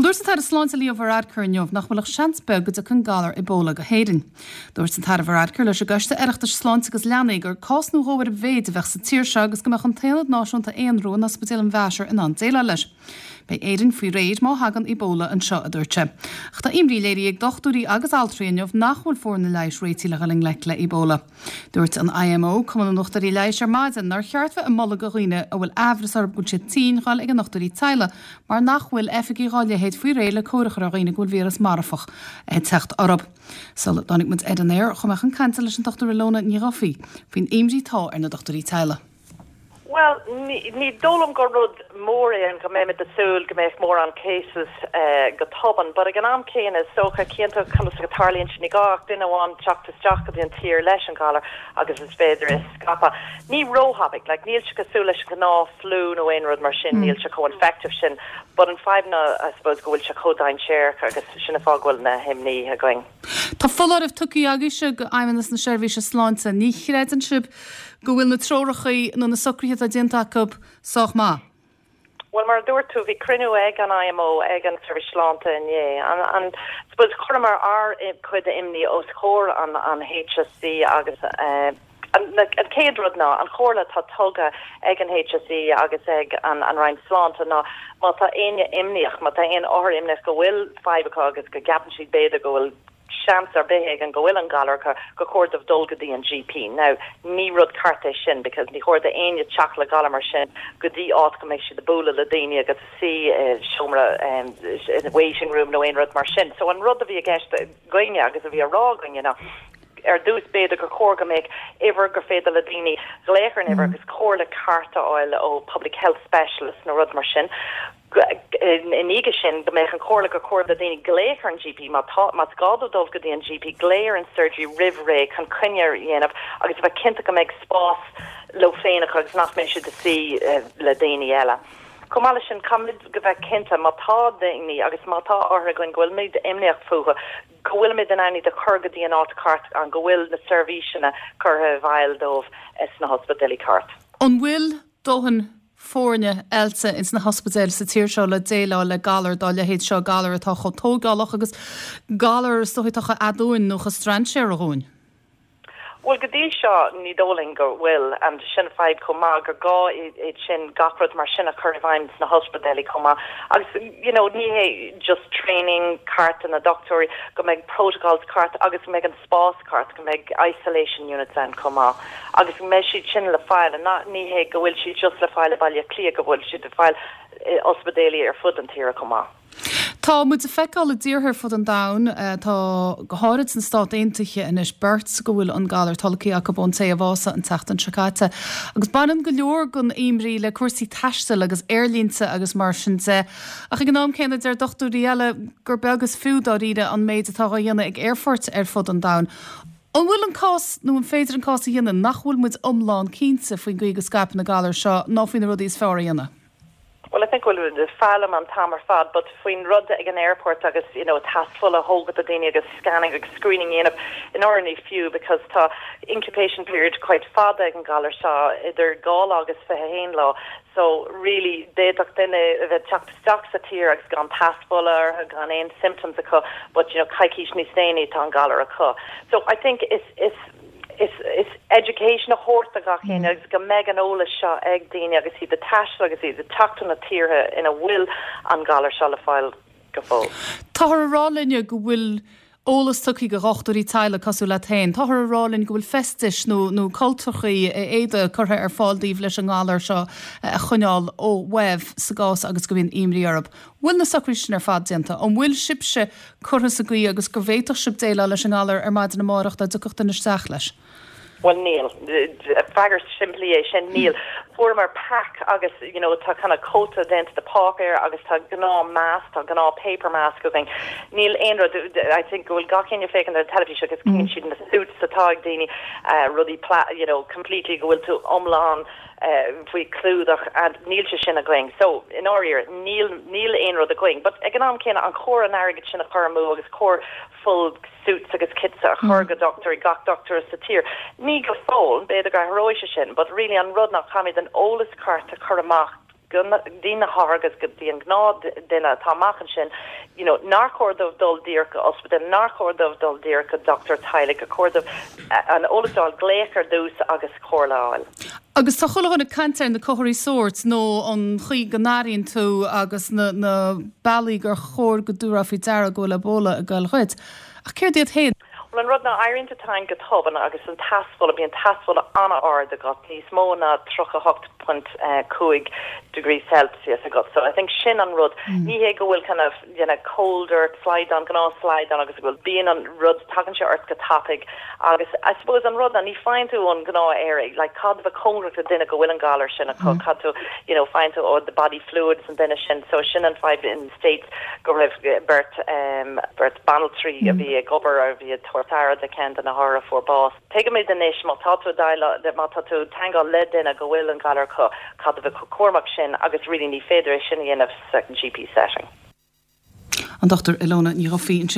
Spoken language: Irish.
Dúirt an tAire Sláinte Leo Varadkar inniu nach bhfuil ach seans beag go dtiocfaidh an galar Ebola go hÉirinn. Dúirt an tAire Varadkar leis an gCoiste Oireachtais Sláinte agus Leanaí gur cás nó dhó ar a mhéid a bheadh sa tír seo agus go mbeadh an tAonad Náisiúnta Aonrú in Ospidéal an Mheásair in ann déileáil leis. Beidh Éirinn faoi réir má thagann Ebola anseo, a dúirt sé. Ach tá imní léirithe ag dochtúirí agus altraí inniu nach bhfuil foirne leighis réitithe le dhul i ngleic le Ebola. Dúirt an IMO, Cumann na nDochtúirí Leighis, ar maidin nár cheart bheith ag moladh do dhaoine a bhfuil aimhreas orthu go bhfuil siad tinn dhul ag a ndochtúirí teaghlaigh mar nach bhfuil oifigigh dhá leithéid faoi réir le cóir a chur ar dhaoine go bhfuil víreas marfach ag teacht orthu. Sula dtáinig muid ar an aer, chuaigh mé chun cainte leis an Dr Ilona Ní Dhufaigh faoin imní atá ar na dochtúirí teaghlaigh. Bhuel, ní dóigh liom gur rud mór é an go mbeimid ag súil go mbeadh mórán cases go tobann, but ag an am céanna is dócha, cíonn tú conas go tarlaíonn sé, ní gá ach duine amháin teacht isteach go dtí an tír leis an ghalar agus is féidir é a scaipeadh. Ní róthapaidh, like níl sé cosúil leis an gnáth flu nó aon rud mar sin, níl sé chomh infective sin, but an fadhb ná I suppose go bhfuil sé chomh dainséarach agus sin an fáth go bhfuil na himní againn. Tá foláireamh tugtha agaibhse go Fheidhmeannas na Seirbhíse Sláinte. Ní chreideann sibh go bhfuil na treoracha nó na socruithe atá déanta acu sách maith? Bhuel, mar a dúirt tú, bhí cruinniú ag an IMO, ag an tSeirbhís Sláinte inné. And I suppose chuireamar ár gcuid imní os comhair an HSE agus an chéad rud ná an chomhairle atá tugtha ag an HSE agus ag an Roinn Sláinte ná má tá éinne imníoch, má tá aon othar imníoch go bhfuil fadhb acu agus go gceapann siad b'fhéidir go bhfuil seans ar bith éigin go bhfuil an galar acu, gur chóir dóibh dul go dtí an GP. Now, ní rud ceart é sin because ní chóir d'éinne teacht le galar mar sin go dtí áit go mbeidh siad ag bualadh le daoine agus ag suí i seomra, in waiting room nó aon rud mar sin. So an rud a bhí i gceist againne agus a bhí á rá againne ná, ar dtús, b'fhéidir gur chóir go mbeadh uimhir gur féidir le daoine glaoch ar an uimhir agus comhairle ceart a fháil ó public health specialist nó rud mar sin. I ndiaidh sin, go mbeadh an chomhairle gur chóir do dhaoine glaoch ar an GP má tá, más gá dóibh dul go dtí an GP, glaoch ar an surgery roimh ré chun coinne a dhéanamh agus a bheith cinnte go mbeidh spás leo féin acu agus nach mbeidh siad ag suí le daoine eile. Chomh maith leis sin, caithfimid go bheith cinnte má tá daoine agus má tá othair againn go bhfuilimid imníoch fúthu, go bhfuilimid in ann iad a chur go dtí an áit ceart an go bhfuil na seirbhíseanna curtha i bhfeighil dóibh sna hospidéilí ceart. An bhfuil dóthain foirne oilte ins na hospidéil sa tír seo le déileáil le galar dá leithéid seo, galar atá chomh tógálach agus galar is dóigh atá chomh aduain nó chomh strainséartha dhúinn? Bhuel, go dtí seo, ní dóigh linn go bhfuil, and sin fadhb chomh maith, gur gá iad sin, gach rud mar sin a chur i bhfeidhm sna hospidéilí chomh maith. Agus, you know, ní hé just training ceart do na dochtúirí, go mbeidh protocols ceart agus go mbeidh an spás ceart, go mbeidh isolation units ann chomh maith. Agus go mbeidh siad sin le fáil, and not, ní hé go bhfuil siad just le fáil i Baile Átha Cliath, go bhfuil siad le fáil i ospidéilí ar fud an tíre chomh maith. Tá muid ag feiceáil i dtíortha ar fud an domhain, tá go háirid sna Stáit Aontaithe anois, beirt go bhfuil an galar tolgtha acu ón té a bhásaigh an tseachtain seo caite. Agus baineann go leor den imní le cúrsaí taistil agus aerlínte agus mar sin de. Ach ag an am céanna deir dochtúirí eile gur beag is fiú dáiríre an méid atá á dhéanamh ag aerfoirt ar fud an domhain. An bhfuil an cás, nó an féidir an cás a dhéanamh, nach bhfuil muid iomlán cinnte faoin gcaoi go scaipeann an galar seo ná faoi na rudaí is fearr a dhéanamh? Well I think go bhfuil muid ag foghlaim an t-am ar fad but faoin rud ag an airport agus you know test fola a thógáil do daoine agus scanning agus screening a dhéanamh in áirithe ní fiú because tá incubation period quite fada ag an galar seo idir 2 lá agus 21 lá so really d'fhéadfadh duine a bheith teacht isteach sa tír agus gan test fola orthu gan aon symptoms acu but you know coicís níos déanaí tá an galar acu so I think is is Is education a thabhairt do gach éinne agus go mbeidh an eolas seo ag daoine agus iad ag taisteal agus iad ag teacht ó na tíortha ina bhfuil an galar seo le fáil go fóill. Táthar a rá linne go bhfuil eolas tugtha do dhochtúirí teaghlaigh cosúil leat féin. Táthar a rá linn go bhfuil feistis nó nó cultachaí éadaí curtha ar fáil daoibh leis an ngalar seo a choinneáil ó uaibh sa gcás agus go mbíonn imní orthu. Bhfuil na socruithe sin ar fad déanta? An bhfuil sibhse curtha sa gcaoi agus go bhféadfadh sibh déileáil leis an ngalar ar maidin amárach dá dtiocfadh duine isteach leis? Bhuel, níl. Freagairt simplí é sin, níl. Fuaireamar pack agus, you know, tá kind of cóta déanta de páipéar agus tá gnáth mask, tá gnáth paper mask againn. Níl aon rud, I think go bhfuil gach éinne ag féachaint ar an teilifís agus cíonn siad na suits atá ag daoine, rudaí, you know, completely go bhfuil tú iomlán, faoi chlúdach and níl sé sin againn. So, i ndáiríre, níl, níl aon rud againn. But ag an am céanna, an chóir an airgead sin a chur amú agus cóir full suits agus kits a chur go dochtúirí, gach dochtúir sa tír? Ní go fóill, b'fhéidir go athróidh sé sin, but really an rud ná caithfimid an eolas ceart a chur amach. go dtí na hothair agus go dtí an gnáth duine atá amach ansin, you know, nár chóir dóibh dul díreach go ospidéal, nár chóir dóibh dul díreach go dochtúir teaghlaigh, gur chóir dóibh an eolas a fháil, glaoch ar dtús agus comhairle a fháil. Agus tá chuile dhuine ag caint ar na comharthaí sóirt nó an chaoi go n-airíonn tú agus na na bealaí gur chóir go dtabharfá faoi deara go bhfuil Ebola ag goil dhuit. Ach céard iad féin? Bhuel, an rud ná éiríonn tú tinn go tobann agus an teas fola, bíonn teas fola an-ard agat, níos mó ná 38.5 degrees Celsius agat. So I think sin an rud. Ní hé go bhfuil kind of, you know, cold or slaghdán, gnáth slaghdán agus go bhfuil, bíonn an rud, tagann sé ort go tapaidh agus I suppose an rud ná ní faigheann tú ón gnáth aer é, like caithfidh tú bheith cóngarach le duine go bhfuil an galar sin acu, caithfidh tú, you know, faigheann tú ó the body fluids an duine sin. So sin an fadhb in States go raibh beirt, beirt banaltraí a bhí ag obair, a bhí ag tabhairt aire do cheann de na hothair a fuair bás. Tuigimid anois má tá tú ag déileáil, má tá tú ag teagmháil le duine go bhfuil an galar acu, caithfidh tú bheith chomh cúramach sin agus really ní féidir é sin a dhéanamh sa GP setting. An Dr Ilona Ní Dhufaigh ansin.